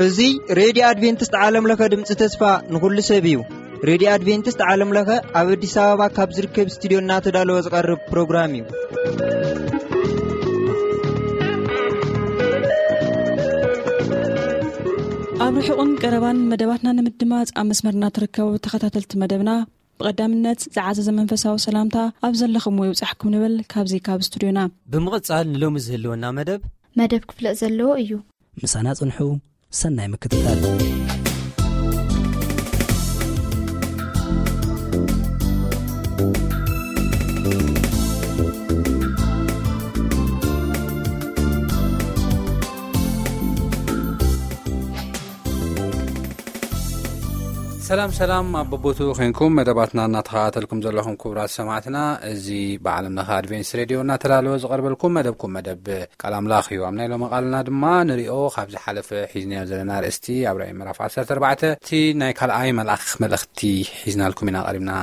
እዚ ሬድዮ ኣድቬንቲስት ዓለም ለኸ ድምፂ ተስፋ ንኹሉ ሰብ እዩ። ሬድዮ ኣድቬንቲስት ዓለም ለኸ ኣብ ኣዲስ ኣበባ ካብ ዝርከብ ስቱዲዮ እናተዳለወ ዝቐርብ ፕሮግራም እዩ። ኣብ ርሑቕን ቀረባን መደባትና ንምድማፅ ኣብ መስመርና ትርከቡ ተኸታተልቲ መደብና፣ ብቐዳምነት ዝዓዘዘ መንፈሳዊ ሰላምታ ኣብ ዘለኹምዎ ይብጻሕኩም ንብል ካብዚ ካብ ስቱዲዮና። ብምቕጻል ንሎሚ ዝህልወና መደብ መደብ ክፍለጥ ዘለዎ እዩ። ምሳና ጽንሑ፣ ሰናይ ምክትታል። ሰላም ሰላም፣ ኣብ በቦቱ ኮንኩም መደባትና እናተኸታተልኩም ዘለኹም ክቡራት ሰማዕትና፣ እዚ ብዓለም ለኸ ኣድቬንስ ሬድዮ እናተዳለወ ዝቐርበልኩም መደብኩም መደብ ቃል ኣምላኽ እዩ። ኣብ ናይ ሎሚ ቃልና ድማ ንሪኦ ካብ ዝሓለፈ ሒዝናዮ ዘለና ኣርእስቲ ኣብ ራእይ ምዕራፍ ዓሰርተ ኣርባዕተ እቲ ናይ ካልኣይ መልኣኽ መልእኽቲ ሒዝናልኩም ኢና ቀሪብና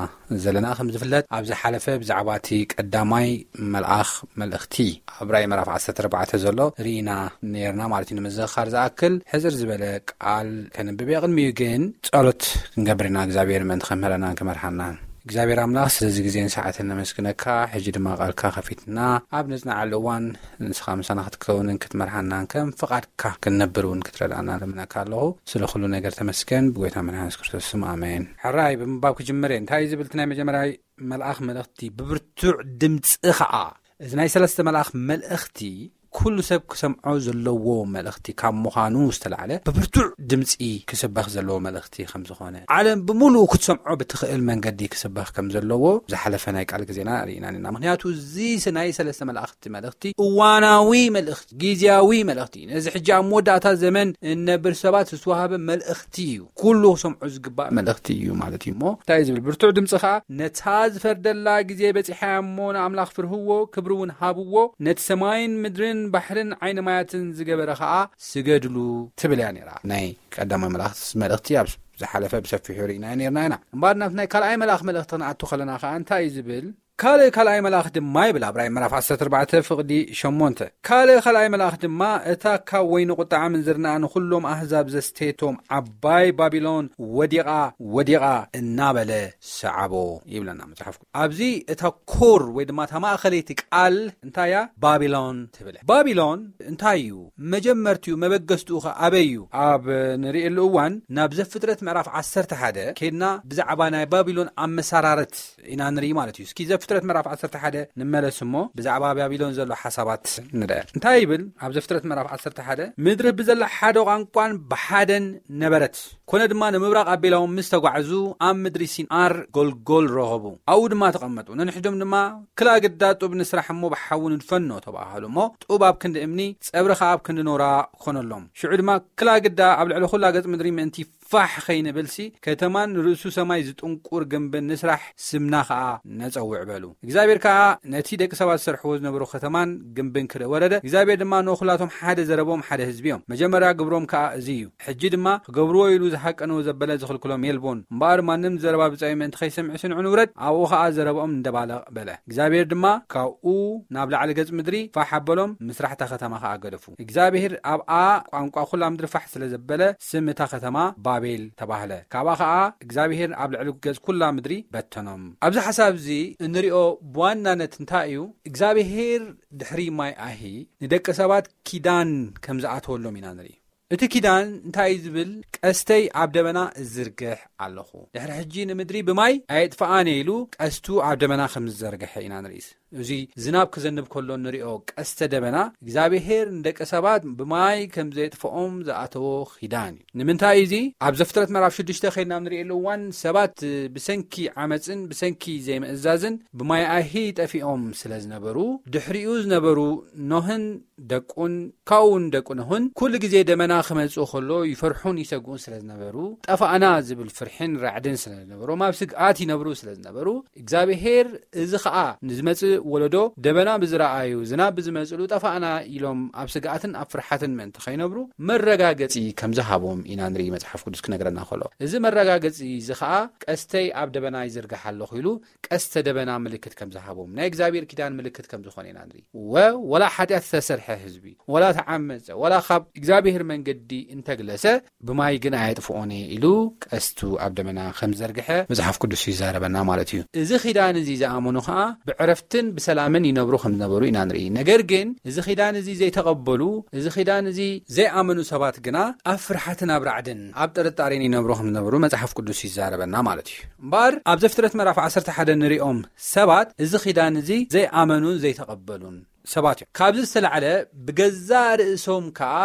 ዘለና። ከም ዝፍለጥ ኣብ ዝሓለፈ ብዛዕባ እቲ ቀዳማይ መልኣኽ መልእኽቲ ኣብ ራእይ ምዕራፍ ዓሰርተ ኣርባዕተ ዘሎ ርኢና ነርና ማለት እዩ። ንምዝኽኻር ዝኣክል ሕጽር ዝበለ ቃል ከንብብ እየ። ቅድሚኡ ግን ጸሎት ክንገብር ኢና፣ እግዚኣብሔር ምእንቲ ከምህረናን ክመርሓናን። እግዚኣብሔር ኣምላኽ ስለዚ ግዜን ሰዓትን ነመስግነካ። ሕጂ ድማ ቃልካ ከፊትና ኣብ ነጽንዓሉ እዋን ንስኻ ምሳና ክትከውንን ክትመርሓናን ከም ፍቓድካ ክንነብር እውን ክትረዳና ለምነካ ኣለኹ። ስለ ኩሉ ነገር ተመስገን፣ ብጎይታ መድሓን የሱስ ክርስቶስ ስም ኣሜን። ሕራይ ብምንባብ ክጅምር እየ። እንታይ እዩ ዝብል እቲ ናይ መጀመርያይ መልኣኽ መልእኽቲ? ብብርቱዕ ድምፂ ኸዓ። እዚ ናይ ሰለስተ መልኣኽ መልእኽቲ ኩሉ ሰብ ክሰምዖ ዘለዎ መልእኽቲ ካብ ምዃኑ ዝተላዕለ ብብርቱዕ ድምፂ ክስበኽ ዘለዎ መልእኽቲ ከም ዝኾነ፣ ዓለም ብምሉኡ ክትሰምዖ ብትኽእል መንገዲ ክስበኽ ከም ዘለዎ ዝሓለፈ ናይ ቃል ግዜና ርኢና ኢና። ምኽንያቱ እዚ ስ-፣ ናይ ሰለስተ መላእኽቲ መልእኽቲ እዋናዊ መልእኽቲ፣ ግዜያዊ መልእኽቲ፣ ነዚ ሕጂ ኣብ መወዳእታ ዘመን እነብር ሰባት ዝተዋህበ መልእኽቲ እዩ። ኩሉ ክሰምዖ ዝግባእ መልእኽቲ እዩ ማለት እዩ። እሞ እንታይ እዩ ዝብል? ብርቱዕ ድምፂ ኸዓ፣ "ነታ ዝፈርደላ ግዜ በፂሓ እሞ ንኣምላኽ ፍርህዎ፣ ክብሪ እውን ሃብዎ፣ ነቲ ሰማይን ምድርን ባሕርን ዓይኒ ማያትን ዝገበረ ኸዓ ስገድሉ" ትብል እያ ነይራ። ናይ ቀዳማይ መልእኽቲ፣ መልእኽቲ ኣብ ዝሓለፈ ብሰፊሑ ርኢና ነርና ኢና። እምበኣር ናብ ናይ ካልኣይ መልኣኽ መልእኽቲ ክንኣቱ ከለና ኸዓ እንታይ እዩ ዝብል? ካልእ ካልኣይ መልኣኽ ድማ ይብል ኣብ ራእይ ምዕራፍ ዓሰርተ ኣርባዕተ ፍቕዲ ሸሞንተ፣ ካልእ ካልኣይ መልኣኽ ድማ፣ "እታ ካብ ወይኒ ቁጥዓ ምንዝርና ንኹሎም ኣህዛብ ዘስተየቶም ዓባይ ባቢሎን ወዲቓ፣ ወዲቓ" እናበለ ሰዓቦ ይብለና መጽሓፍ። ኣብዚ እታ ኮር ወይ ድማ እታ ማእኸለይቲ ቃል እንታይ እያ? ባቢሎን ትብል። ባቢሎን እንታይ እዩ? መጀመርትኡ መበገስትኡ ኸ ኣበይ እዩ? ኣብ ንርእየሉ እዋን ናብ ዘፍጥረት ምዕራፍ ዓሰርተ ሓደ ኬድና ብዛዕባ ናይ ባቢሎን ኣመሰራረት ኢና ንርኢ ማለት እዩ። እስኪ ዘፍጥረት ምዕራፍ ዓሰርተ ሓደ ንመለስ እሞ ብዛዕባ ባቢሎን ዘሎ ሓሳባት ንርአ። እንታይ ይብል ኣብ ዘፍጥረት ምዕራፍ ዓሰርተ ሓደ? "ምድሪ ብዘላ ሓደ ቋንቋን ብሓደን ነበረት። ኮነ ድማ ንምብራቕ ኣቢሎም ምስ ተጓዕዙ ኣብ ምድሪ ሲንኣር ጎልጎል ረኸቡ። ኣብኡ ድማ ተቐመጡ። ነንሕዶም ድማ ክላ ግዳ ጡብ ንስራሕ እሞ ብሓዊ ንድፈኖ ተባሃሉ። እሞ ጡብ ኣብ ክንዲ እምኒ፣ ጸብሪ ኸኣ ኣብ ክንዲ ኖራ ኮነሎም። ሽዑ ድማ ክላ ግዳ ኣብ ልዕሊ ኩላ ገጽ ምድሪ ምእንቲ ፋሕ ኸይንብልሲ፣ ከተማን ርእሱ ሰማይ ዝጥንቁር ግንብን ንስራሕ፣ ስምና ኸኣ ነጸውዕ" በሉ። እግዚኣብሔር ከኣ ነቲ ደቂ ሰባት ዝሰርሕዎ ዝነበሩ ከተማን ግንብን ክርኢ ወረደ። እግዚኣብሔር ድማ ንኹላቶም ሓደ ዘረቦም ሓደ ህዝቢ እዮም። መጀመርያ ግብሮም ከኣ እዚ እዩ። ሕጂ ድማ ክገብርዎ ኢሉ ዝሃቀንዎ ዘበለ ዝኽልክሎም የልቦን። እምበኣር ማንም ዘረባ ብጻዩ ምእንቲ ኸይሰምዕ ስንዑ ንውረድ፣ ኣብኡ ኸኣ ዘረብኦም ንደባለቕ በለ። እግዚኣብሔር ድማ ካብኡ ናብ ላዕሊ ገጽ ምድሪ ፋሕ ኣበሎም፣ ምስራሕ እታ ከተማ ኸኣ ገደፉ። እግዚኣብሔር ኣብኣ ቋንቋ ኹላ ምድሪ ፋሕ ስለ ዘበለ፣ ስም እታ ከተማ ባቤል ተባህለ። ካብኣ ኸኣ እግዚኣብሔር ኣብ ልዕሊ ገጽ ኩላ ምድሪ በተኖም። ኣብዚ ሓሳብ እዚ እንሪኦ ብዋናነት እንታይ እዩ? እግዚኣብሔር ድሕሪ ማይ ኣሂ ንደቂ ሰባት ኪዳን ከም ዝኣተወሎም ኢና ንርኢ። እቲ ኪዳን እንታይ እዩ ዝብል? "ቀስተይ ኣብ ደበና እዝርግሕ ኣለኹ፣ ድሕሪ ሕጂ ንምድሪ ብማይ ኣየጥፍኣን እየ" ኢሉ ቀስቱ ኣብ ደበና ከም ዝዘርግሐ ኢና ንርኢ። እዚ ዝናብ ክዘንብ ከሎ እንሪኦ ቀስተ ደበና፣ እግዚኣብሔር ንደቂ ሰባት ብማይ ከም ዘየጥፍኦም ዝኣተዎ ኪዳን እዩ። ንምንታይ እዚ? ኣብ ዘፍጥረት ምዕራፍ ሽዱሽተ ኸይድና ኣብ ንርእየሉ እዋን፣ ሰባት ብሰንኪ ዓመፅን ብሰንኪ ዘይምእዛዝን ብማይ ኣሂ ጠፊኦም ስለ ዝነበሩ፣ ድሕሪኡ ዝነበሩ ኖህን ደቁን፣ ካብኡ እውን ደቁ ኖህን፣ ኩሉ ግዜ ደመና ክመጽእ ከሎ ይፈርሑን ይሰግኡን ስለ ዝነበሩ፣ ጠፋእና ዝብል ፍርሕን ራዕድን ስለ ዝነበሮም፣ ኣብ ስግኣት ይነብሩ ስለ ዝነበሩ፣ እግዚኣብሔር እዚ ኸኣ ንዝመጽእ ወለዶ ደበና ብዝረኣዩ፣ ዝናብ ብዝመጽሉ ጠፋእና ኢሎም ኣብ ስግኣትን ኣብ ፍርሓትን ምእንቲ ከይነብሩ መረጋገጺ ከም ዝሃቦም ኢና ንርኢ። መጽሓፍ ቅዱስ ክነግረና ከሎ፣ እዚ መረጋገጺ እዚ ኸኣ ቀስተይ ኣብ ደበና ይዝርግሕ ኣለኹ ኢሉ ቀስተ ደበና ምልክት ከም ዝሃቦም፣ ናይ እግዚኣብሔር ኪዳን ምልክት ከም ዝኾነ ኢና ንርኢ። ወ-፣ ወላ ሓጢኣት ዝተሰርሐ ህዝቢ፣ ወላ ተዓመጸ፣ ወላ ካብ እግዚኣብሔር መንገዲ እንተግለሰ፣ ብማይ ግን ኣየጥፍኦን እየ ኢሉ ቀስቱ ኣብ ደመና ከም ዝዘርግሐ መጽሓፍ ቅዱስ ይዛረበና ማለት እዩ። እዚ ኪዳን እዚ ዝኣመኑ ኸኣ ብዕረፍትን ብሰላምን ይነብሩ ከም ዝነበሩ ኢና ንርኢ። ነገር ግን እዚ ኪዳን እዚ ዘይተቐበሉ፣ እዚ ኪዳን እዚ ዘይኣመኑ ሰባት ግና ኣብ ፍርሓትን ኣብ ራዕድን ኣብ ጥርጣሬን ይነብሩ ከም ዝነበሩ መጽሓፍ ቅዱስ ይዛረበና ማለት እዩ። እምበኣር ኣብ ዘፍጥረት ምዕራፍ ዓሰርተ ሓደ ንሪኦም ሰባት እዚ ኪዳን እዚ ዘይኣመኑን ዘይተቐበሉን ሰባት እዮም። ካብዚ ዝተላዕለ ብገዛእ ርእሶም ከኣ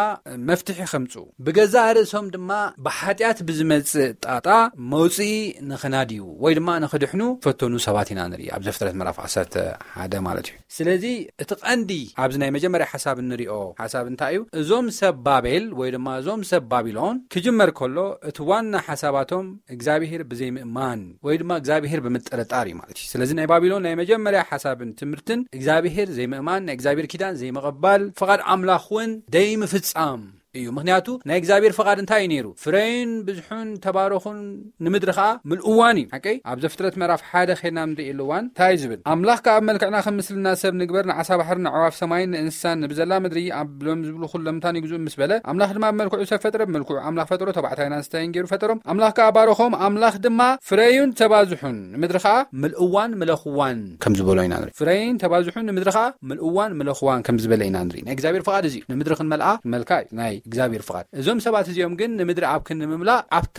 መፍትሒ ከምጽኡ፣ ብገዛእ ርእሶም ድማ ብሓጢኣት ብዝመጽእ ጣጣ መውጽኢ ንኽናድዩ ወይ ድማ ንኽድሕኑ ፈተኑ ሰባት ኢና ንርኢ ኣብ ዘፍጥረት ምዕራፍ ዓሰርተ ሓደ ማለት እዩ። ስለዚ እቲ ቀንዲ ኣብዚ ናይ መጀመርያ ሓሳብ እንሪኦ ሓሳብ እንታይ እዩ? እዞም ሰብ ባቤል ወይ ድማ እዞም ሰብ ባቢሎን ክጅመር ከሎ እቲ ዋና ሓሳባቶም እግዚኣብሔር ብዘይምእማን ወይ ድማ እግዚኣብሔር ብምጥርጣር እዩ ማለት እዩ። ስለዚ ናይ ባቢሎን ናይ መጀመርያ ሓሳብን ትምህርትን እግዚኣብሔር ዘይምእማን፣ ናይ እግዚኣብሔር ኪዳን ዘይምቕባል፣ ፍቓድ ኣምላኽ እውን ደይምፍጻም እዩ። ምኽንያቱ ናይ እግዚኣብሔር ፍቓድ እንታይ እዩ ነይሩ? ፍረዩን ብዝሑን ተባረኹን ንምድሪ ኸዓ ምልእዋን እዩ። ሓቀይ ኣብ ዘፍጥረት ምዕራፍ ሓደ ኸይድና ንርእየሉ እዋን እንታይ እዩ ዝብል? ኣምላኽ ከኣ ኣብ መልክዕና ከም ምስልና ሰብ ንግበር፣ ንዓሳ ባሕርን ንኣዕዋፍ ሰማይን ንእንስሳን ንብዘላ ምድሪ ኣብ ሎም ዝብሉ ኩሎም ምታን ይግዝኡ ምስ በለ፣ ኣምላኽ ድማ ብመልክዑ ሰብ ፈጥረ፣ ብመልክዑ ኣምላኽ ፈጠሮ፣ ተባዕታይን ኣንስተይን ገይሩ ፈጠሮም። ኣምላኽ ከኣ ባረኾም፣ ኣምላኽ ድማ ፍረዩን ተባዝሑን ንምድሪ ኸዓ ምልእዋን ምለኽዋን ከም ዝበሎ ኢና ንርኢ። ፍረይን ተባዝሑን ንምድሪ ኸዓ ምልእዋን ምለኽዋን ከም ዝበለ ኢና ንርኢ። ናይ እግዚኣብሔር ፍቓድ እዚ እዩ። ንምድሪ ክንመልኣ መልካ እዩ ናይ እግዚኣብሔር ፍቓድ። እዞም ሰባት እዚኦም ግን ንምድሪ ኣብ ክንዲ ምምላእ ኣብታ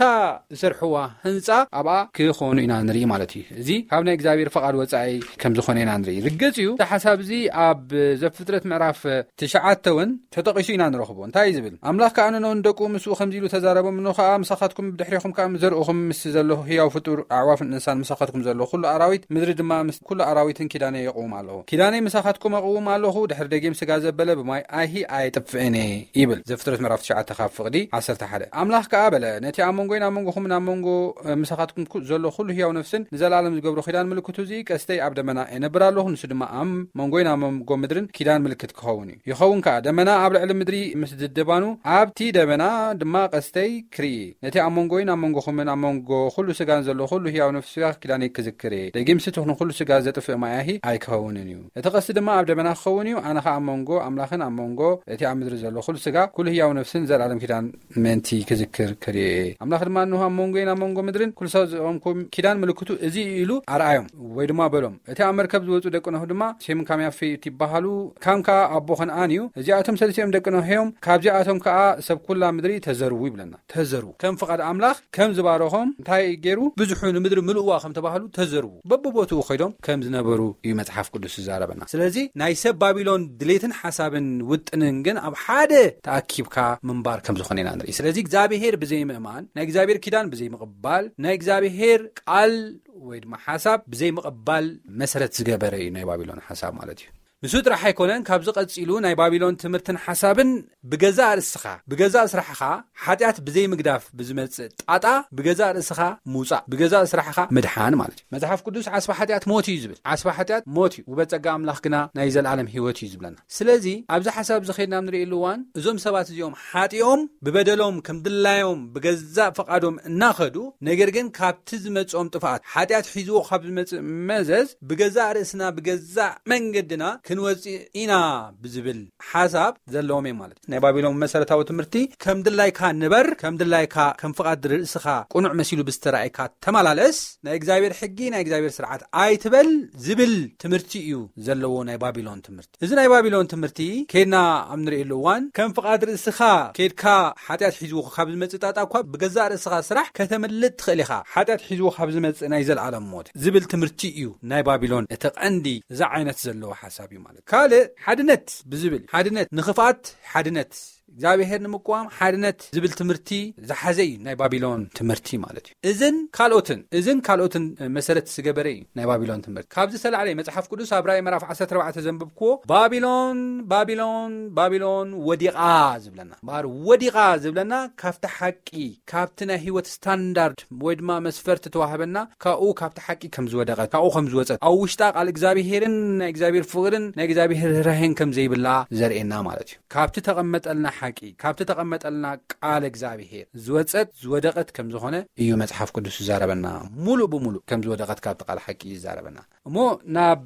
ዝሰርሕዋ ህንጻ ኣብኣ ክኾኑ ኢና ንርኢ ማለት እዩ። እዚ ካብ ናይ እግዚኣብሔር ፍቓድ ወጻኢ ከም ዝኾነ ኢና ንርኢ። ርግጽ እዩ፣ እቲ ሓሳብ እዚ ኣብ ዘፍጥረት ምዕራፍ ትሽዓተ እውን ተጠቒሱ ኢና ንረኽቦ። እንታይ እዩ ዝብል? ኣምላኽ ከኣ ንኖን ደቁ ምስኡ ከምዚ ኢሉ ተዛረቦም፣ እንሆ ከኣ ምሳኻትኩም ብድሕሬኹም ከኣ ምስ ዘርእኹም ምስ ዘሎ ህያው ፍጡር ኣዕዋፍን እንስሳን ምሳኻትኩም ዘሎ ኩሉ ኣራዊት ምድሪ ድማ ምስ ኩሉ ኣራዊትን ኪዳነይ የቕውም ኣለኹ። ኪዳነይ ምሳኻትኩም ኣቕውም ኣለኹ፣ ድሕሪ ደጊም ስጋ ዘበለ ብማይ ኣይሂ ኣየጥፍእን እየ ይብል። ዘፍጥረት ምዕራፍ ትሽዓተ ካብ ፍቕዲ ዓሰርተ ሓደ። ኣምላኽ ከኣ በለ፣ ነቲ ኣብ መንጎይን ኣብ መንጎኹምን ኣብ መንጎ፣ እ፣ ምሳኻትኩም ኩ-፣ ዘሎ ኩሉ ህያው ነፍስን ንዘለኣለም ዝገብሮ ኪዳን ምልክቱ እዚ ቀስተይ ኣብ ደመና የነብር ኣለኹ፣ ንሱ ድማ ኣብ መንጎይን ኣብ መንጎ ምድርን ኪዳን ምልክት ክኸውን እዩ። ይኸውን ከኣ፣ ደመና ኣብ ልዕሊ ምድሪ ምስ ድድባኑ፣ ኣብቲ ደመና ድማ ቀስተይ ክርኢ፣ ነቲ ኣብ መንጎይን ኣብ መንጎኹምን ኣብ መንጎ ኩሉ ስጋን ዘሎ ኩሉ ህያው ነፍሲ ስጋ ኪዳነይ ክዝክር እየ። ደጊምሲ ትኹን ኩሉ ስጋ ዘጥፍእ ማያሂ ኣይክኸውንን እዩ። እቲ ቀስቲ ድማ ኣብ ደመና ክኸውን እዩ። ኣነ ኸኣ ኣብ መንጎ ኣምላኽን ኣብ መንጎ እቲ ኣብ ምድሪ ዘሎ ኩሉ ስጋ፣ ኩሉ ህያው ነፍስን ዘላለም ኪዳን ምእንቲ ክዝክር ክርኢ እየ። ኣምላኽ ድማ፣ እንሆ ኣብ መንጎይን ኣብ መንጎ ምድርን ኩሉ ሰብ ዘቐምኩም ኪዳን ምልክቱ እዚ እዩ ኢሉ ኣርኣዮም፣ ወይ ድማ በሎም። እቲ ኣብ መርከብ ዝወጹ ደቂ ኖህ ድማ፣ ሴምን ካምን ያፌትን ይበሃሉ፣ ካም ከኣ ኣቦ ከነኣን እዩ። እዚኣቶም ሰለስቲኦም ደቂ ኖህ እዮም። ካብዚኣቶም ከኣ ሰብ ኩላ ምድሪ ተዘርዉ ይብለና። ተዘርዉ። ከም ፍቓድ ኣምላኽ ከም ዝባረኾም እንታይ ገይሩ? ብዝሑ ንምድሪ ምልእዋ ከም ተባህሉ ተዘርዉ። በብቦትኡ ኸይዶም ከም ዝነበሩ እዩ መጽሓፍ ቅዱስ ዝዛረበና። ስለዚ ናይ ሰብ ባቢሎን ድሌትን ሓሳብን ውጥንን ግን ኣብ ሓደ ተኣኪብካ ምንባር ከም ዝኾነ ኢና ንርኢ። ስለዚ እግዚኣብሔር ብዘይምእማን፣ ናይ እግዚኣብሔር ኪዳን ብዘይምቕባል፣ ናይ እግዚኣብሔር ቃል ወይ ድማ ሓሳብ ብዘይምቕባል መሰረት ዝገበረ እዩ ናይ ባቢሎን ሓሳብ ማለት እዩ። ንሱ ጥራሕ ኣይኮነን፣ ካብዚ ቀጺሉ ናይ ባቢሎን ትምህርትን ሓሳብን ብገዛእ ርእስኻ፣ ብገዛእ ስራሕኻ፣ ሓጢኣት ብዘይምግዳፍ ብዝመጽእ ጣጣ ብገዛእ ርእስኻ ምውጻእ፣ ብገዛእ ስራሕኻ ምድሓን ማለት እዩ። መጽሓፍ ቅዱስ ዓስባ ሓጢኣት ሞት እዩ ዝብል። ዓስባ ሓጢኣት ሞት እዩ፣ ውበ ጸጋ ኣምላኽ ግና ናይ ዘለኣለም ህይወት እዩ ዝብለና። ስለዚ ኣብዚ ሓሳብ እዚ ኸይድና ንርእየሉ እዋን እዞም ሰባት እዚኦም ሓጢኦም ብበደሎም ከም ድላዮም ብገዛእ ፍቓዶም እናኸዱ፣ ነገር ግን ካብቲ ዝመጽኦም ጥፍኣት ሓጢኣት ሒዝዎ ካብ ዝመጽእ መዘዝ ብገዛእ ርእስና ብገዛእ መንገድና ክንወጽእ ኢና ብዝብል ሓሳብ ዘለዎም እዮም ማለት እዩ። ናይ ባቢሎን መሰረታዊ ትምህርቲ ከም ድላይካ ንበር፣ ከም ድላይካ ከም ፍቓድ ርእስኻ ቅኑዕ መሲሉ ብዝተራእየካ ተመላለስ፣ ናይ እግዚኣብሔር ሕጊ ናይ እግዚኣብሔር ስርዓት ኣይትበል ዝብል ትምህርቲ እዩ ዘለዎ ናይ ባቢሎን ትምህርቲ። እዚ ናይ ባቢሎን ትምህርቲ ኬድና ኣብ ንርእየሉ እዋን ከም ፍቓድ ርእስኻ ኬድካ ሓጢኣት ሒዝዎ ካብ ዝመጽእ ጣጣ እኳ ብገዛእ ርእስኻ ስራሕ ከተምልጥ ትኽእል ኢኻ። ሓጢኣት ሒዝዎ ካብ ዝመጽእ ናይ ዘለኣለም ሞት ዝብል ትምህርቲ እዩ ናይ ባቢሎን እቲ ቀንዲ እዚ ዓይነት ዘለዎ ሓሳብ እዩ ማለት። ካልእ ሓድነት ብዝብል ሓድነት ንኽፍኣት ሓድነት እግዚኣብሔር ንምቅዋም ሓድነት ዝብል ትምህርቲ ዝሓዘ እዩ ናይ ባቢሎን ትምህርቲ ማለት እዩ። እዝን ካልኦትን እዝን ካልኦትን መሰረት ዝገበረ እዩ ናይ ባቢሎን ትምህርቲ። ካብዚ ዝተላዕለ መጽሓፍ ቅዱስ ኣብ ራእይ ምዕራፍ ዓሰርተ ኣርባዕተ ዘንብብክዎ ባቢሎን ባቢሎን ባቢሎን ወዲቓ ዝብለና፣ እምበኣር ወዲቓ ዝብለና ካብቲ ሓቂ፣ ካብቲ ናይ ህይወት ስታንዳርድ ወይ ድማ መስፈርቲ ተዋህበና ካብኡ ካብቲ ሓቂ ከም ዝወደቐት፣ ካብኡ ከም ዝወፀት፣ ኣብ ውሽጣ ቃል እግዚኣብሄርን ናይ እግዚኣብሔር ፍቕርን ናይ እግዚኣብሔር ርህራሄን ከም ዘይብላ ዘርእየና ማለት እዩ። ካብቲ ተቐመጠልና ሓቂ፣ ካብቲ ተቐመጠልና ቃል እግዚኣብሄር ዝወፀት ዝወደቐት ከም ዝኾነ እዩ መጽሓፍ ቅዱስ ዝዛረበና። ሙሉእ ብሙሉእ ከም ዝወደቐት ካብቲ ቃል ሓቂ እዩ ዝዛረበና። እሞ ናብ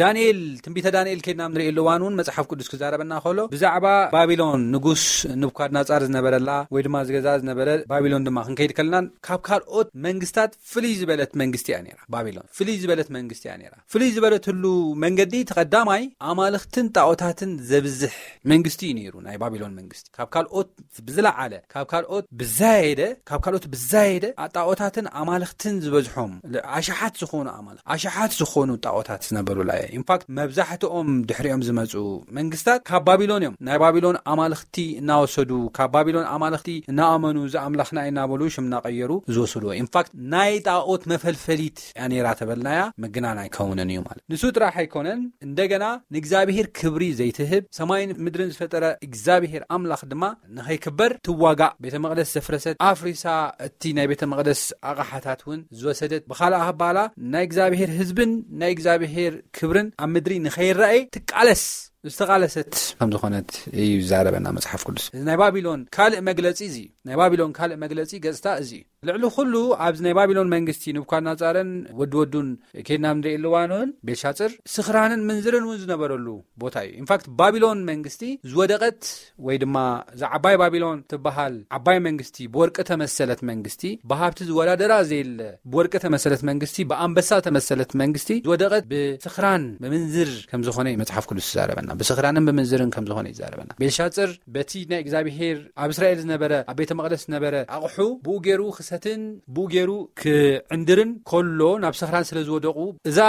ዳንኤል፣ ትንቢተ ዳንኤል ከይድና ንርእየሉ እዋን እውን መጽሓፍ ቅዱስ ክዛረበና ከሎ ብዛዕባ ባቢሎን ንጉስ ንቡካድናጻር ዝነበረላ ወይ ድማ ዝገዛ ዝነበረ ባቢሎን ድማ ክንከይድ ከለናን ካብ ካልኦት መንግስታት ፍልይ ዝበለት መንግስቲ እያ ነይራ። ባቢሎን ፍልይ ዝበለት መንግስቲ እያ ነይራ። ፍልይ ዝበለትሉ መንገዲ እቲ ቀዳማይ ኣማልኽትን ጣዖታትን ዘብዝሕ መንግስቲ እዩ ነይሩ ናይ ባቢሎን መንግስቲ። ካብ ካልኦት ብዝለዓለ፣ ካብ ካልኦት ብዛየደ፣ ካብ ካልኦት ብዛየደ ጣዖታትን ኣማልኽትን ዝበዝሖም፣ ኣሽሓት ዝኾኑ ኣማልኽ ኣሽሓት ዝኾኑ ጣዖታት ዝነበሩላ እየ። ኢንፋክት መብዛሕትኦም ድሕሪኦም ዝመፁ መንግስታት ካብ ባቢሎን እዮም። ናይ ባቢሎን ኣማልኽቲ እናወሰዱ፣ ካብ ባቢሎን ኣማልኽቲ እናኣመኑ፣ እዚ ኣምላኽና እዩ እናበሉ ሽም እናቐየሩ ዝወስድዎ። ኢንፋክት ናይ ጣዖት መፈልፈሊት እያ ነይራ ተበልናያ ምግናን ኣይከውንን እዩ ማለት። ንሱ ጥራሕ ኣይኮነን፣ እንደገና ንእግዚኣብሔር ክብሪ ዘይትህብ፣ ሰማይን ምድርን ዝፈጠረ እግዚኣብሔር ኣምላኽ ድማ ንኸይክበር ትዋጋእ፣ ቤተ መቕደስ ዘፍረሰት፣ ኣፍሪሳ እቲ ናይ ቤተ መቕደስ ኣቕሓታት እውን ዝወሰደት፣ ብኻልእ ኣባህላ ናይ እግዚኣብሔር ህዝብን ናይ እግዚኣብሔር ክብርን ኣብ ምድሪ ንኸይረኣይ ትቃለስ፣ ዝተቓለሰት ከም ዝኾነት እዩ ዝዛረበና መጽሓፍ ቅዱስ። እዚ ናይ ባቢሎን ካልእ መግለጺ እዚ እዩ። ናይ ባቢሎን ካልእ መግለጺ ገጽታ እዚ እዩ። ልዕሊ ኩሉ ኣብዚ ናይ ባቢሎን መንግስቲ ንቡካድናጻርን ወዲ ወዱን ከይድና ንርእየሉ እዋን እውን ቤልሻጽር ስኽራንን ምንዝርን እውን ዝነበረሉ ቦታ እዩ። ኢንፋክት ባቢሎን መንግስቲ ዝወደቐት ወይ ድማ እዛ ዓባይ ባቢሎን ትበሃል ዓባይ መንግስቲ፣ ብወርቂ ተመሰለት መንግስቲ፣ ብሃብቲ ዝወዳደራ ዘየለ ብወርቂ ተመሰለት መንግስቲ፣ ብኣንበሳ ተመሰለት መንግስቲ ዝወደቐት ብስኽራን ብምንዝር ከም ዝኾነ እዩ መጽሓፍ ቅዱስ ዝዛረበና። ብስኽራንን ብምንዝርን ከም ዝኾነ እዩ ዝዛረበና። ቤልሻጽር በቲ ናይ እግዚኣብሔር ኣብ እስራኤል ዝነበረ፣ ኣብ ቤተ መቕደስ ዝነበረ ኣቕሑ ብኡ ገይሩ ክሰትን ብኡ ገይሩ ክዕንድርን ከሎ ናብ ስኽራን ስለ ዝወደቑ እዛ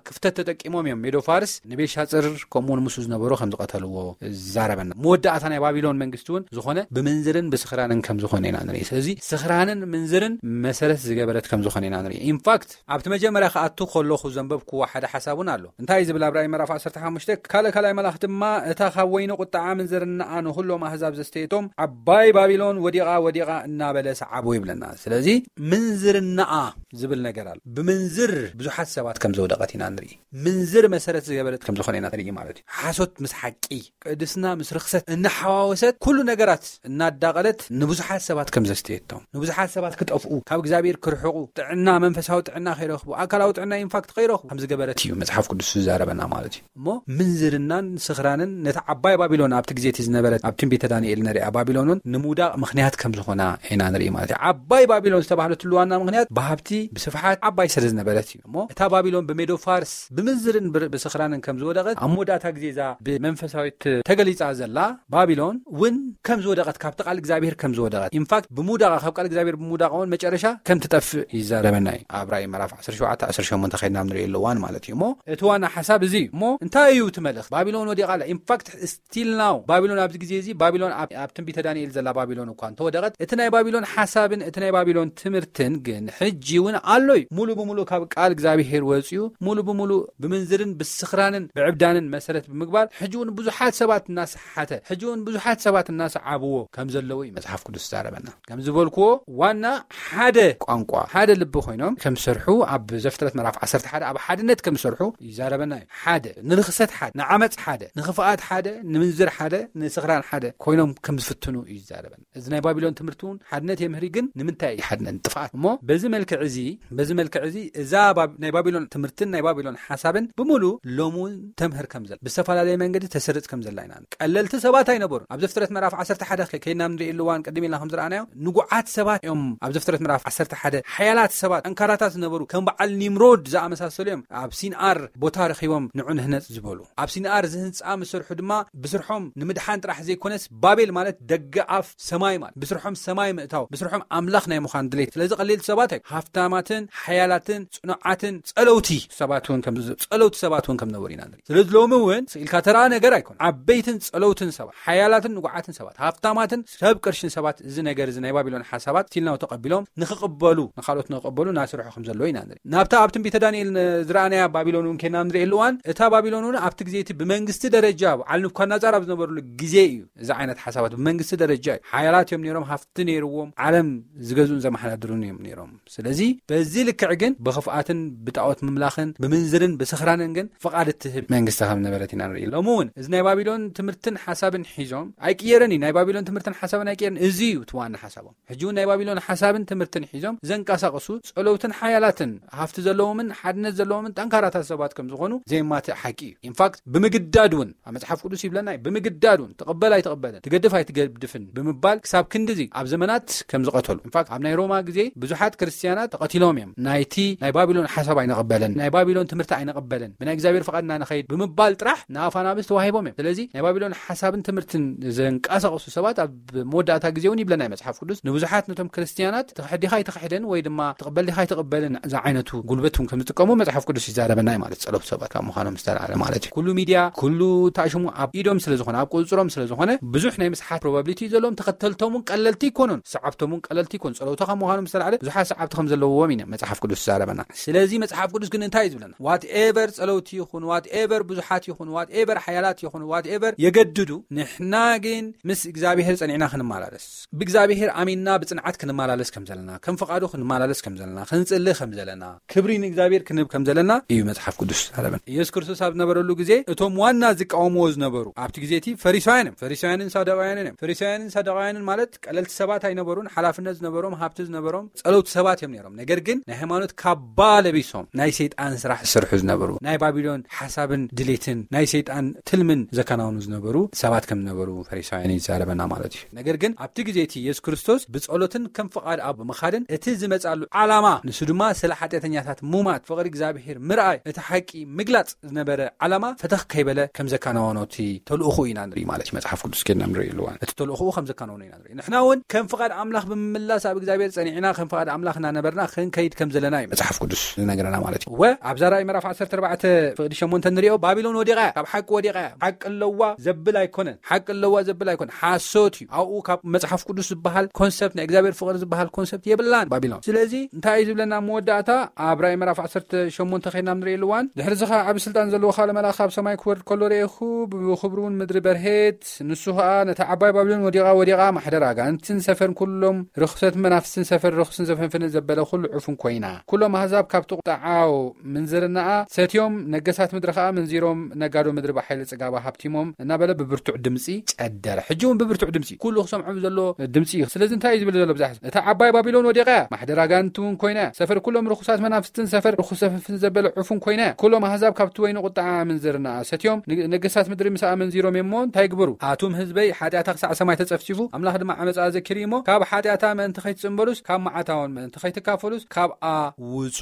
ክፍተት ተጠቂሞም እዮም ሜዶ ፋርስ ንቤልሻጽር ከምኡውን ምስኡ ዝነበሩ ከም ዝቐተልዎ ዝዛረበና። መወዳእታ ናይ ባቢሎን መንግስቲ እውን ዝኾነ ብምንዝርን ብስኽራንን ከም ዝኾነ ኢና ንርኢ። ስለዚ ስኽራንን ምንዝርን መሰረት ዝገበረት ከም ዝኾነ ኢና ንርኢ። ኢንፋክት ኣብቲ መጀመርያ ክኣቱ ከለኹ ዘንበብክዎ ሓደ ሓሳብ እውን ኣሎ። እንታይ እዩ ዝብል? ኣብ ራእይ ምዕራፍ ዓሰርተ ሓሙሽተ፣ ካልእ ካልኣይ መልኣኽ ድማ እታ ካብ ወይኒ ቁጥዓ ምንዝርናኣ ንኹሎም ኣህዛብ ዘስተየቶም ዓባይ ባቢሎን ወዲቓ ወዲቓ እናበለ ሰዓቦ ይብለና። ስለዚ ምንዝርናኣ ዝብል ነገር ኣሎ። ብምንዝር ብዙሓት ሰባት ከም ዘውደቐት ኢና ንርኢ። ምንዝር መሰረት ዝገበረት ከም ዝኾነ ኢና ንርኢ ማለት እዩ። ሓሶት ምስ ሓቂ፣ ቅድስና ምስ ርኽሰት እናሓዋወሰት ኩሉ ነገራት እናዳቐለት ንብዙሓት ሰባት ከም ዘስተየቶም፣ ንብዙሓት ሰባት ክጠፍኡ፣ ካብ እግዚኣብሔር ክርሕቑ፣ ጥዕና፣ መንፈሳዊ ጥዕና ከይረኽቡ፣ ኣካላዊ ጥዕና ኢንፋክት ከይረኽቡ ከም ዝገበረት እዩ መጽሓፍ ቅዱስ ዝዛረበና ማለት እዩ። እሞ ምንዝርናን ስኽራንን ነቲ ዓባይ ባቢሎን ኣብቲ ግዜ እቲ ዝነበረት ኣብ ትንቢተ ዳንኤል ንሪኣ ባቢሎን እውን ንምውዳቕ ምኽንያት ከም ዝኾና ኢና ንርኢ ማለት እዩ። ዓባይ ባቢሎን ዝተባህለትሉ ዋና ምኽንያት ብሃብቲ ብስፍሓት ዓባይ ስለ ዝነበረት እዩ። እሞ እታ ባቢሎን ብሜዶ ፋርስ ብምንዝርን ብር-፣ ብስኽራንን ከም ዝወደቐት ኣብ መወዳእታ ግዜ እዛ ብመንፈሳዊት ተገሊጻ ዘላ ባቢሎን እውን ከም ዝወደቐት፣ ካብቲ ቃል እግዚኣብሔር ከም ዝወደቐት፣ ኢንፋክት ብምውዳቓ፣ ካብ ቃል እግዚኣብሔር ብምውዳቓ እውን መጨረሻ ከም ትጠፍእ ይዛረበና እዩ። ኣብ ራእይ ምዕራፍ ዓሰርተ ሸውዓተ ዓሰርተ ሸሞንተ ከይድና ንርእየሉ እዋን ማለት እዩ። እሞ እቲ ዋና ሓሳብ እዚ እዩ። እሞ እንታይ እዩ እቲ መልእኽቲ? ባቢሎን ወዲቓ ኣላ። ኢንፋክት ስቲል ናው ባቢሎን ኣብዚ ግዜ እዚ ባቢሎን ኣብ፣ ኣብ ትንቢተ ዳንኤል ዘላ ባቢሎን እኳ እንተወደቐት፣ እቲ ናይ ባቢሎን ሓሳብን እቲ ናይ ባቢሎን ትምህርትን ግን ሕጂ እውን ኣሎ እዩ። ሙሉ ብምሉእ ካብ ቃል እግዚኣብሔር ወፂኡ፣ ሙሉ ብምሉእ ብምንዝርን ብስኽራንን ብዕብዳንን መሰረት ብምግባር ሕጂ እውን ብዙሓት ሰባት እናሰሓተ፣ ሕጂ እውን ብዙሓት ሰባት እናሰዓብዎ ከም ዘለዉ እዩ መጽሓፍ ቅዱስ ዝዛረበና። ከም ዝበልክዎ ዋና ሓደ ቋንቋ፣ ሓደ ልቢ ኮይኖም ከም ዝሰርሑ ኣብ ዘፍጥረት ምዕራፍ ዓሰርተ ሓደ ኣብ ሓድነት ከም ዝሰርሑ ይዛረበና እዩ። ሓደ ንርኽሰት ሓደ፣ ንዓመፅ ሓደ፣ ንኽፍኣት ሓደ፣ ንምንዝር ሓደ፣ ንስኽራን ሓደ ኮይኖም ከም ዝፍትኑ እዩ ይዛረበና። እዚ ናይ ባቢሎን ትምህርቲ እውን ሓድነት የምህሪ፣ ግን ንምንታይ እዩ ሓድነት? ጥፍኣት። እሞ በዚ መልክዕ እዚ፣ በዚ መልክዕ እዚ እዛ ባብ-፣ ናይ ባቢሎን ትምህርትን ናይ ባቢሎን ሓሳብን ብምሉ ሎም እውን ተምህር ከም ዘላ፣ ብዝተፈላለየ መንገዲ ተስርጽ ከም ዘላ ኢና። ቀለልቲ ሰባት ኣይነበሩን። ኣብ ዘፍጥረት ምዕራፍ ዓሰርተ ሓደ ከ-፣ ከይድና ንርእየሉ እዋን ቅድም ኢልና ከም ዝረኣናዮ ንጉዓት ሰባት እዮም። ኣብ ዘፍጥረት ምዕራፍ ዓሰርተ ሓደ ሓያላት ሰባት፣ ጠንካራታት ዝነበሩ፣ ከም በዓል ኒምሮድ ዝኣመሳሰሉ እዮም ኣብ ሲንኣር ቦታ ረኺቦም ንዑ ንህነጽ ዝበሉ። ኣብ ሲንኣር ዝህ-፣ ህንፃ ምስርሑ ድማ ብስርሖም ንምድሓን ጥራሕ ዘይኮነስ፣ ባቤል ማለት ደገ ኣፍ ሰማይ ማለት፣ ብስርሖም ሰማይ ምእታው፣ ብስርሖም ኣምላኽ ናይ ምዃን ድሌት። ስለዚ ቀለልቲ ሰባት ኣይ ሃፍታማትን ሓያላትን ጽኑዓትን ጸለውቲ ሰባት እውን ከም ጸለውቲ ሰባት እውን ከም ነበሩ ኢና ንርኢ። ስለዚ ሎሚ እውን ስኢልካ ተራ ነገር ኣይኮነ። ዓበይትን ጸለውትን ሰባት፣ ሓያላትን ንጉዓትን ሰባት፣ ሃፍታማትን ሰብ ቅርሽን ሰባት፣ እዚ ነገር እዚ ናይ ባቢሎን ሓሳባት ስቲል ናው ተቐቢሎም ንኽቕበሉ፣ ንኻልኦት ንኽቕበሉ እናሰርሑ ከም ዘለዎ ኢና ንርኢ። ናብታ ኣብ ትንቢተ ዳንኤል ን-፣ ዝረኣናያ ባቢሎን እውን ኬና ንርእየሉ እዋን፣ እታ ባቢሎን እውን ኣብቲ ግዜ እቲ ብመንግስቲ ደረጃ በዓል ንቡካድነጻር ኣብ ዝነበሩሉ ግዜ እዩ። እዚ ዓይነት ሓሳባት ብመንግስቲ ደረጃ እዩ። ሓያላት እዮም ነይሮም፣ ሃፍቲ ነይርዎም፣ ዓለም ዝገዝኡን ዘመሓዳድሩን እዮም ነይሮም። ስለዚ በዚ ልክዕ ግን ብኽፍኣትን ብጣዖት ምምላኽን ብምንዝርን ብስኽራንን ግን ፍቓድ እትህብ መንግስቲ ከም ነበረት ኢና ንርኢ። ሎሚ እውን እዚ ናይ ባቢሎን ትምህርትን ሓሳብን ሒዞም ኣይቅየርን እዩ። ናይ ባቢሎን ትምህርትን ሓሳብን ኣይቅየርን። እዚ እዩ እቲ ዋና ሓሳቦም። ሕጂ እውን ናይ ባቢሎን ሓሳብን ትምህርትን ሒዞም ዘንቀሳቕሱ ጸለውትን ሓያላትን ሃፍቲ ዘለዎምን ሓድነት ዘለዎምን ጠንካራታት ሰባት ከም ዝኾኑ ዘይማትእ ሓቂ እዩ። ኢንፋክት ብምግዳድ እውን ኣብ መጽሓፍ ቅዱስ ይብለና እዩ። ብምግዳድ እውን ትቕበል ኣይትቕበልን፣ ትገድፍ ኣይትገድፍን ብምባል ክሳብ ክንድዚ ኣብ ዘመናት ከም ዝቐተሉ። ኢንፋክት ኣብ ናይ ሮማ ግዜ ብዙሓት ክርስትያናት ተቐቲሎም እዮም። ናይቲ ናይ ባቢሎን ሓሳብ ኣይንቕበልን፣ ናይ ባቢሎን ትምህርቲ ኣይንቕበልን፣ ብናይ እግዚኣብሔር ፍቓድና ንኸይድ ብምባል ጥራሕ ንኣፋናብስ ተዋሂቦም እዮም። ስለዚ ናይ ባቢሎን ሓሳብን ትምህርትን ዘንቀሳቕሱ ሰባት ኣብ መወዳእታ ግዜ እውን ይብለና እዩ መጽሓፍ ቅዱስ። ንብዙሓት ነቶም ክርስትያናት ተኽሕዲኻ ኣይተኽሕደን ወይ ድማ ትቕበል ዲኻ ኣይትቕበልን ዝዓይነቱ ጉልበት እውን ከም ዝጥቀሙ መጽሓፍ ቅዱስ ይዛረበና እዩ ማለት፣ ጸለውቲ ሰባት ካብ ምዃኖም ዝተላዕለ ማለት እዩ። ኩሉ ሚድያ፣ ኩሉ ተኣሽሙ ኣብ ኢዶም ስለ ዝኾነ፣ ኣብ ቁጽሮም ስለ ዝኾነ፣ ብዙሕ ናይ ምስሓት ፕሮባብሊቲ እዩ ዘለዎም። ተኸተልቶም እውን ቀለልቲ ኣይኮኑን፣ ሰዓብቶም እውን ቀለልቲ ኣይኮኑን። ጸለውቲ ካብ ምዃኖም ዝተላዕለ ብዙሓት ሰዓብቲ ከም ዘለዎም ኢና መጽሓፍ ቅዱስ ይዛረበና። ስለዚ መጽሓፍ ቅዱስ ግን እንታይ እዩ ዝብለና? ዋትኤቨር ጸለውቲ ይኹን፣ ዋትኤቨር ብዙሓት ይኹን፣ ዋትኤቨር ሓያላት ይኹን፣ ዋትኤቨር የገድዱ፣ ንሕና ግን ምስ እግዚኣብሔር ጸኒዕና ክንመላለስ፣ ብእግዚኣብሔር ኣሚንና ብጽንዓት ክንመላለስ ከም ዘለና፣ ከም ፍቓዱ ክንመላለስ ከም ዘለና፣ ክንጽሊ ከም ዘለና፣ ክብሪ ንእግዚኣብሔር ክንህብ ከም ዘለና እዩ መጽሓፍ ቅዱስ ዝዛረበና። ኢየሱስ ክርስቶስ ኣብ ዝነበረሉ ግዜ እቶም ዋና ዝቃወምዎ ዝነበሩ ኣብቲ ግዜ እቲ ፈሪሳውያን እዮም። ፈሪሳውያንን ሳዱቃውያንን እዮም። ፈሪሳውያንን ሳዱቃውያንን ማለት ቀለልቲ ሰባት ኣይነበሩን። ሓላፍነት ዝነበሮም፣ ሃብቲ ዝነበሮም፣ ጸለውቲ ሰባት እዮም ነይሮም። ነገር ግን ናይ ሃይማኖት ካባ ለቢሶም ናይ ሰይጣን ስራሕ ዝሰርሑ ዝነበሩ፣ ናይ ባቢሎን ሓሳብን ድሌትን ናይ ሰይጣን ትልምን ዘከናውኑ ዝነበሩ ሰባት ከም ዝነበሩ ፈሪሳውያን ይዛረበና ማለት እዩ። ነገር ግን ኣብቲ ግዜ እቲ ኢየሱስ ክርስቶስ ብጸሎትን ከም ፍቓድ ኣብ ምኻድን እቲ ዝመጻሉ ዓላማ፣ ንሱ ድማ ስለ ሓጢኣተኛታት ሙማት፣ ፍቕሪ እግዚኣብሔር ምርኣይ፣ እቲ ሓቂ ምግላጽ ዝነበረ ዓላማ ፈተኽ ከይበለ ከም ዘከናወኖ እቲ ተልእኹ ኢና ንርኢ ማለት እዩ። መጽሓፍ ቅዱስ ኬድና ንርኢ ኣለዋን እቲ ተልእኹ ከም ዘከናወኖ ኢና ንርኢ። ንሕና እውን ከም ፍቓድ ኣምላኽ ብምምላስ ኣብ እግዚኣብሔር ጸኒዕና ከም ፍቓድ ኣምላኽ እናነበርና ክንከይድ ከም ዘለና እዩ መጽሓፍ ቅዱስ ዝነግረና ማለት እዩ። እወ፣ ኣብዛ ራእይ ምዕራፍ ዓሰርተ ኣርባዕተ ፍቕዲ ሸሞንተ ንሪኦ፣ ባቢሎን ወዲቓ እያ፣ ካብ ሓቂ ወዲቓ እያ። ሓቂ ኣለዋ ዘብል ኣይኮነን። ሓቂ ኣለዋ ዘብል ኣይኮነን። ሓሶት እዩ። ኣብኡ ካብ መጽሓፍ ቅዱስ ዝበሃል ኮንሰፕት፣ ናይ እግዚኣብሔር ፍቕሪ ዝበሃል ኮንሰፕት የብላን ባቢሎን። ስለዚ እንታይ እዩ ዝብለና ኣብ መወዳእታ? ኣብ ራእይ ምዕራፍ ዓሰርተ ሸሞንተ ኸይድና ንሪኦ ኣለዋን። ድሕሪ እዚ ኸዓ ዓቢ ስልጣን ዘለዎ ካልእ መልኣኽ ካብ ሰማይ ክወርድ ከሎ ርኤኹ፣ ብኽብሩ እውን ምድሪ በርሄት። ንሱ ኸኣ ነታ ዓባይ ባቢሎን ወዲቓ፣ ወዲቓ፣ ማሕደር ኣጋንንትን ሰፈር ኩሎም ርኹሰት መናፍስትን ሰፈር ርኹስን ዘፈንፍንን ዘበለ ኩሉ ዕፉን ኮይና። ኩሎም ኣህዛብ ካብቲ ቁጣዓው ምንዝርናኣ ሰትዮም፣ ነገሳት ምድሪ ኸኣ መንዚሮም፣ ነጋዶ ምድሪ ብሓይሊ ጽጋባ ሃብቲሞም እናበለ ብብርቱዕ ድምጺ ጨደረ። ሕጂ እውን ብብርቱዕ ድምጺ፣ ኩሉ ክሰምዖ ዘሎ ድምጺ እዩ። ስለዚ እንታይ እዩ ዝብል ዘሎ ብዛሕ? እታ ዓባይ ባቢሎን ወዲቓ እያ፣ ማሕደር ኣጋንንቲ እውን ኮይና እያ፣ ሰፈር ኩሎም ርኹሳት መናፍስትን ሰፈር ርኹስ ዘፈንፍን ዘበለ ዕፉን ኮይና እያ። ኩሎም ኣህዛብ ካብቲ ወይኒ ቁጣዓ ምንዝርናኣ ሰትዮም፣ ን-፣ ነገሳት ምድሪ ምስኣ መንዚሮም እሞ እንታይ ይግበሩ? ኣቱም ህዝበይ፣ ሓጢኣታ ክሳዕ ሰማይ ተጸፍጺፉ፣ ኣምላኽ ድማ ዓመጻኣ ዘኪሩ እዩ እሞ፣ ካብ ሓጢኣታ ምእንቲ ከይትጽንበሉስ፣ ካብ መዓታውን ምእንቲ ከይትካፈሉስ፣ ካብኣ ውጹ።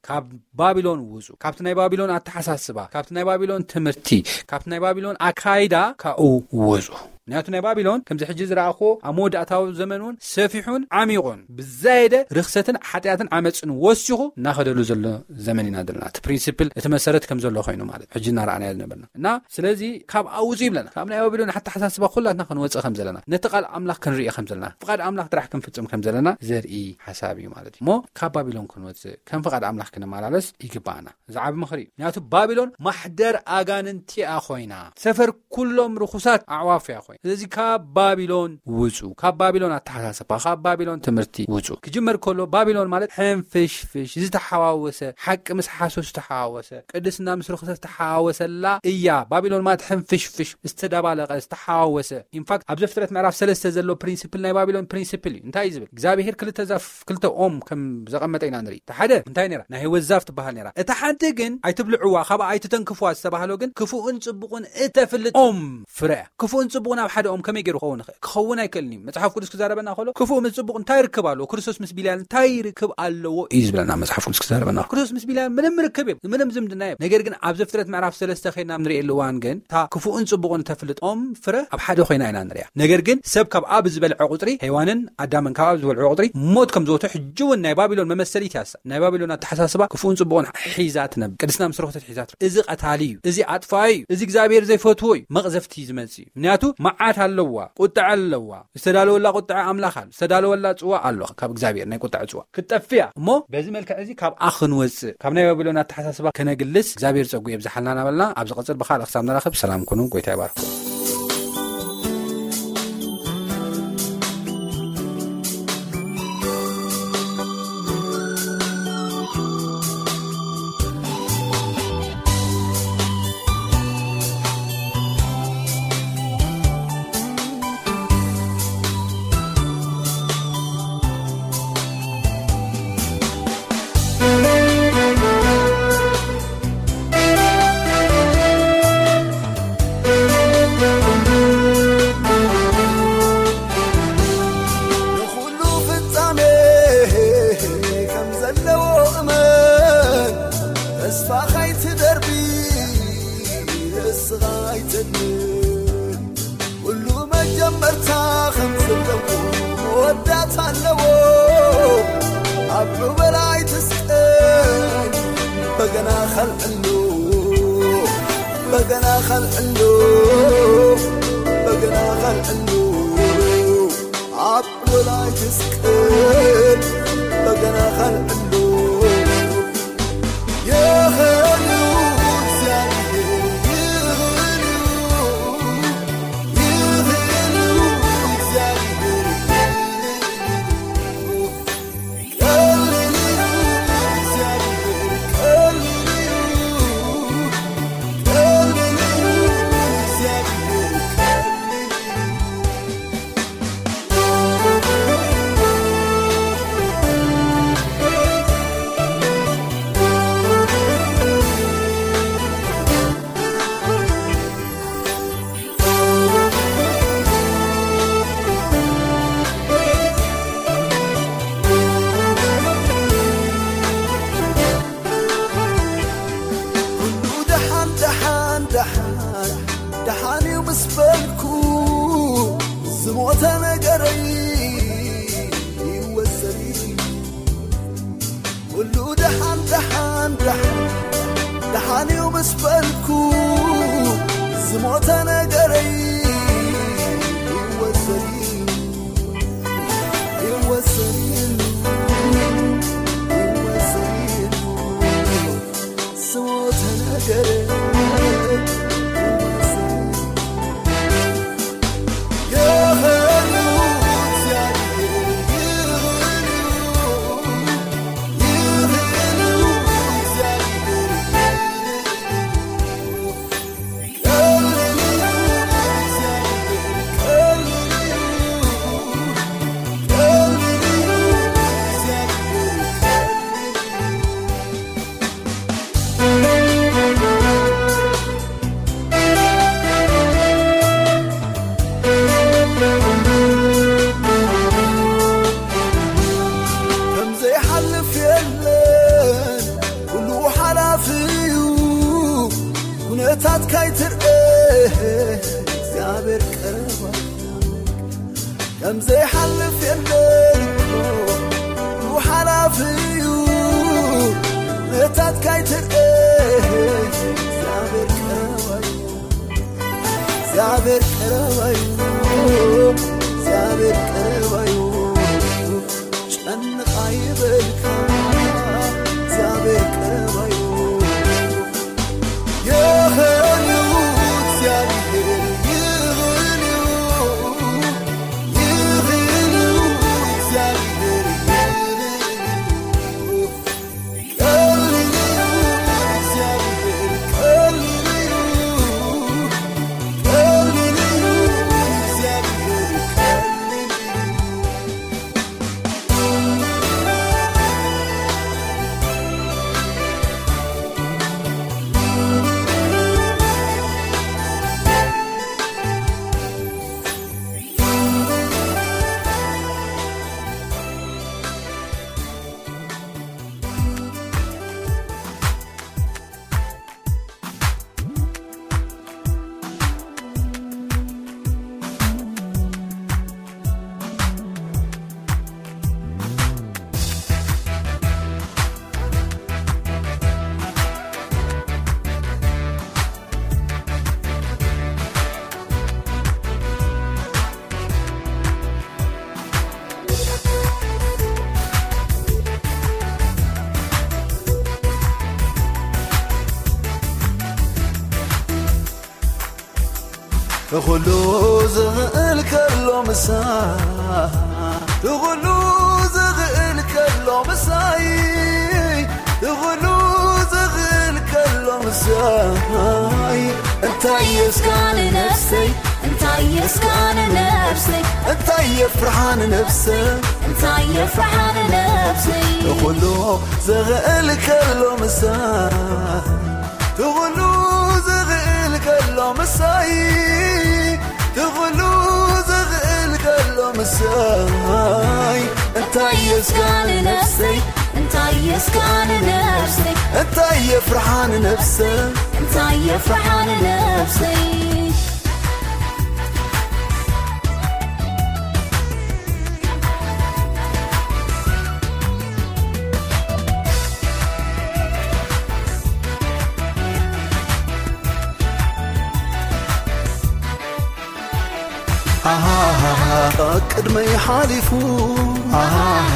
ካብ ባቢሎን ውጹ። ካብቲ ናይ ባቢሎን ኣተሓሳስባ፣ ካብቲ ናይ ባቢሎን ትምህርቲ፣ ካብቲ ናይ ባቢሎን ኣካይዳ ካብኡ ውጹ። ምክንያቱ ናይ ባቢሎን ከምዚ ሕጂ ዝረኣኹዎ ኣብ መወዳእታዊ ዘመን እውን ሰፊሑን ዓሚቑን ብዛየደ ርኽሰትን ሓጢኣትን ዓመፅን ወሲኹ እናኸደሉ ዘሎ ዘመን ኢና ዘለና። እቲ ፕሪንሲፕል፣ እቲ መሰረት ከም ዘሎ ኮይኑ ማለት ሕጂ እናረኣናዮ ዝነበርና እና ስለዚ ካብ ኣውፁ ይብለና። ካብ ናይ ባቢሎን ኣተሓሳስባ ኩላትና ክንወፅእ ከም ዘለና፣ ነቲ ቃል ኣምላኽ ክንርኢ ከም ዘለና፣ ፍቓድ ኣምላኽ ጥራሕ ክንፍፅም ከም ዘለና ዘርኢ ሓሳብ እዩ ማለት እዩ። እሞ ካብ ባቢሎን ክንወፅእ፣ ከም ፍቓድ ኣምላኽ ክንመላለስ ይግባኣና። እዚ ዓቢ ምኽሪ እዩ። ምክንያቱ ባቢሎን ማሕደር ኣጋንንቲ እያ ኮይና፣ ሰፈር ኩሎም ርኹሳት ኣዕዋፍ እያ ኮይና። ስለዚ ካብ ባቢሎን ውፁ፣ ካብ ባቢሎን ኣተሓሳስባ፣ ካብ ባቢሎን ትምህርቲ ውፁ። ክጅመር ከሎ ባቢሎን ማለት ሕንፍሽፍሽ ዝተሓዋወሰ፣ ሓቂ ምስ ሓሶት ዝተሓዋወሰ፣ ቅድስና ምስ ርኹሰት ዝተሓዋወሰላ እያ። ባቢሎን ማለት ሕንፍሽፍሽ ዝተደባለቐ፣ ዝተሓዋወሰ። ኢንፋክት ኣብ ዘፍጥረት ምዕራፍ ሰለስተ ዘሎ ፕሪንሲፕል ናይ ባቢሎን ፕሪንሲፕል እዩ። እንታይ እዩ ዝብል? እግዚኣብሄር ክልተ ዛፍ፣ ክልተ ኦም ከም ዘቐመጠ ኢና ንርኢ። እቲ ሓደ እንታይ ነይራ? ናይ ህይወት ዛፍ ትበሃል ነይራ። እታ ሓንቲ ግን ኣይትብልዕዋ፣ ካብኣ ኣይትተንክፍዋ ዝተባህሎ ግን ክፉእን ጽቡቕን እተፍልጥ ኦም ፍረ እያ። ክፉእን ጽቡቕን ኣብ ሓደኦም ከመይ ገይሩ ክኸውን ይኽእል? ክኸውን ኣይክእልን እዩ። መጽሓፍ ቅዱስ ክዛረበና ከሎ፣ ክፉእ ምስ ጽቡቕ እንታይ ርክብ ኣለዎ? ክርስቶስ ምስ ቢልያል እንታይ ርክብ ኣለዎ እዩ ዝብለና መጽሓፍ ቅዱስ ክዛረበና። ክርስቶስ ምስ ቢልያል ምንም ርክብ የብ-፣ ምንም ዝምድና የብ። ነገር ግን ኣብ ዘፍጥረት ምዕራፍ ሰለስተ ኸይና ንርእየሉ እዋን ግን፣ እታ ክፉእን ጽቡቕን ተፍልጦም ፍረ ኣብ ሓደ ኮይና ኢና ንሪኣ። ነገር ግን ሰብ ካብ ኣብ ዝበልዐ ቁጽሪ፣ ሄዋንን ኣዳምን ካብ ኣብ ዝበልዐ ቁጽሪ፣ ሞት ከም ዝወቱ ሕጂ እውን ናይ ባቢሎን መመሰሊት ያሳ። ናይ ባቢሎን ኣተሓሳስባ ክፉእን ጽቡቕን ሒዛ ትነብር። ቅድስና ምስ ረኸሰት ሒዛ ትነብር። እዚ ቀታሊ እዩ። እዚ ኣጥፋኢ እዩ። እዚ እግዚኣብሔር ዘይፈትዎ እዩ። መቕዘፍቲ እዩ ዝመጽእ እዩ። ምክንያቱ መዓት ኣለዋ፣ ቁጥዐ ኣለዋ። ዝተዳለወላ ቁጥዐ ኣምላኽ ኣሎ። ዝተዳለወላ ጽዋ ኣሎ ካብ እግዚኣብሔር ናይ ቁጥዐ ጽዋ። ክትጠፍእ እያ። እሞ በዚ መልክዕ እዚ ካብኣ ክንወጽእ፣ ካብ ናይ ባቢሎን ኣተሓሳስባ ከነግልስ እግዚኣብሔር ጸጉ የብዝሓልና እናበልና ኣብ ዝቐጽል ብኻልእ ክሳብ ንራኸብ ሰላም ኩኑ። ጎይታ ይባርኩም። ንኹሉ ፍጻሜ ከም ዘለዎ እመን፣ ተስፋ ኸይትደርቢ ንስኻ ኣይተድምን። ኩሉ መጀመርታ ከም ዘለዎ መወዳእታ ኣለዎ። ኣብ ዑበል ኣይትስቀል፣ በገና ኸልዕሉ፣ በገና ኸልዕሉ፣ በገና ኸልዕሉ። ኣብ ዑበል ኣይትስቀል፣ በገና ኸልዕሉ። የኸሉ እግዚኣብሔር፣ የኸሉ፣ የኸሉ እግዚኣብሔር። ኩሉ ደሓን፣ ደሓን፣ ደሓን፣ ደሓን እዩ ምስ በልኩ፣ ዝሞተ ነገረይ ይወሰድ። ኩሉ ደሓን፣ ደሓን፣ ደሓን፣ ደሓን እዩ ምስ በልኩ፣ ዝሞተ ነገረይ ይወሰድ፣ ይወሰድ፣ ይወሰድ። ዝሞተ ነገረይ ይወሰድ። ከም ዘይሓልፍ የለን፣ ኩሉ ሓላፊ እዩ። ኩነታት ካይትርኤ እግዚኣብሔር ቀረባ። ከም ዘይሓልፍ የለን እኮ፣ ኩሉ ሓላፊ እዩ። ኩነታት ካይትርኤ እግዚኣብሔር ቀረባ እዩ። እግዚኣብሔር ቀረባ እዩ። እግዚኣብሔር ቀረባ እዩ። ጨንቕ ኣይበልካ፣ እግዚኣብሔር ቀረባ እዩ። ይኽእል እዩ፣ እግዚኣብሔር ይኽእል እዩ። ይኽእል እዩ፣ እግዚኣብሔር ይኽእል እዩ። ትኹሉ ዝኽእል ከሎ ምሳይ፣ ትኹሉ ዝኽእል ከሎ ምሳይ፣ ትኹሉ ዝኽእል ከሎ ምሳይ። እንታይ የስጋን ነፍሰይ፣ እንታይ የስጋን ነፍሰይ፣ እንታይ የፍርሓን ነፍሰይ፣ እንታይ የፍርሓን ነፍሰይ። ትኹሉ ዝኽእል ከሎ ምሳይ፣ ትኹሉ ዝኽእል ከሎ ምሳይ፣ ትኹሉ ዝኽእል ከሎ ምሳይ። እንታይ የስጋን ነፍሰይ፣ እንታይ የስጋን ነፍሰይ፣ እንታይ የፍርሓን ነፍሰይ፣ እንታይ የፍርሓን ነፍሰይ። ኣሃሃሃ፣ ቅድመይ ሓሊፉ፣ ኣሃሃሃ፣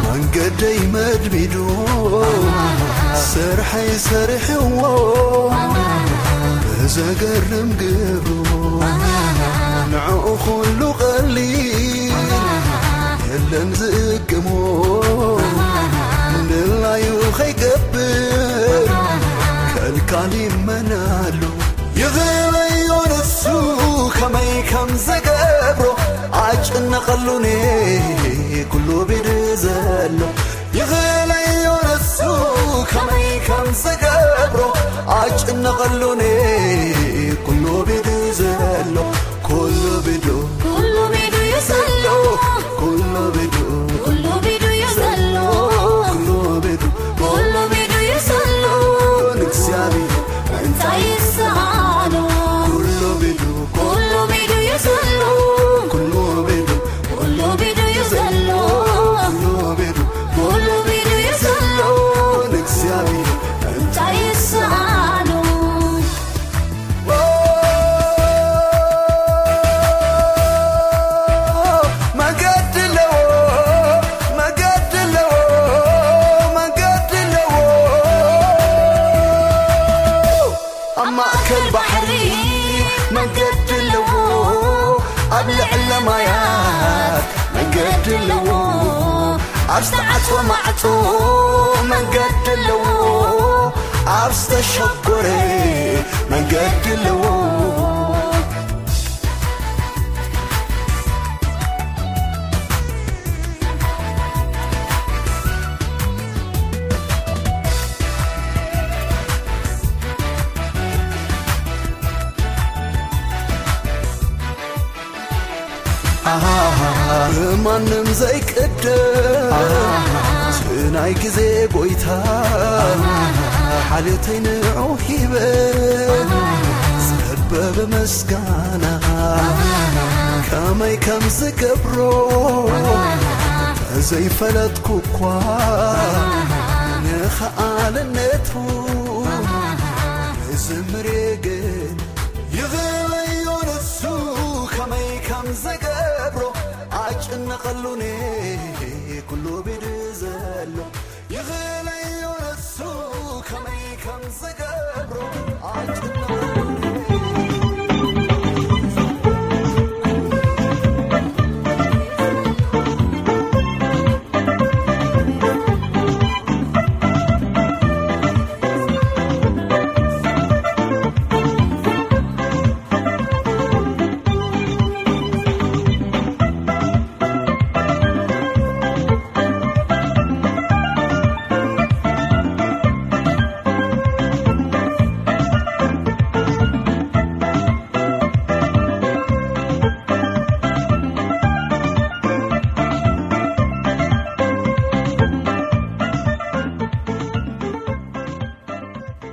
መንገደይ መድሚዱ፣ ስርሐይ ሰሪሕዎ ብዘገርም ግብሩ። ንዕኡ ኩሉ ቀሊል የለን ዝእግሞ፣ ድላዩ ከይገብር ከልካል ይመናሉ። ይኽእለዮ ንሱ ከመይ ከም ዝገብሮ ኣጭነቐሉኒ ኩሉ ቢድ ዘሎ። ይኽእለዮ ንሱ ከመይ ከም ዝገብሮ ኣጭነቐሉኒ ኩሉ ቢድ ዘሎ። ኩሉ ቢዱ፣ ኩሉ ቢዱ እዩ ዘሎ። ኩሉ ቢዱ፣ ኩሉ ቢዱ እዩ ዘሎ። ኩሉ ቢዱ፣ ኩሉ ቢዱ እዩ ዘሎ። ንእግዚኣብሔር እንታይ ይስኣኖ? ኩሉ ቢዱ፣ ኩሉ ቢዱ እዩ ዘሎ። ኩሉ ቢዱ፣ ኩሉ ቢዱ እዩ ዘሎ። ኩሉ ቢዱ፣ ኩሉ ቢዱ እዩ ዘሎ። ንእግዚኣብሔር እንታይ ይስኣኖ? መገዲ ኣለዎ፣ መገዲ ኣለዎ፣ መገዲ ኣለዎ። ኣብ ማእከል ባሕሪ መገዲ ኣለዎ፣ ኣብ ልዕለ ማያት መገዲ ኣለዎ። ኣብ ዝተዓጽወ ማዕጾ መንገዲ ኣለዎ፣ ኣብ ዝተሸጎረ መንገዲ ኣለዎ። ኣሃሃሃ፣ ብማንም ዘይቅደም፣ ኣሃሃሃ፣ እቲ ናይ ግዜ ጎይታ፣ ኣሃሃሃ፣ ሓልዮተይ ንዑ ሂበ፣ ኣሃሃሃ፣ ጸበብ ምስጋና፣ ኣሃሃሃ፣ ከመይ ከም ዝገብሮ፣ ኣሃሃሃ፣ ተዘይፈለጥኩ እኳ፣ ኣሃሃሃ፣ ንኸኣልነቱ፣ ኣሃሃሃ፣ ክዝምር ግን ይኽእለዮ ንሱ ከመይ ከም ዘገብሮ ኣጭነቐሉኒ ኩሉ ቢድ ዘሎ። ይኽእለዮ ንሱ ከመይ ከም ዘገብሮ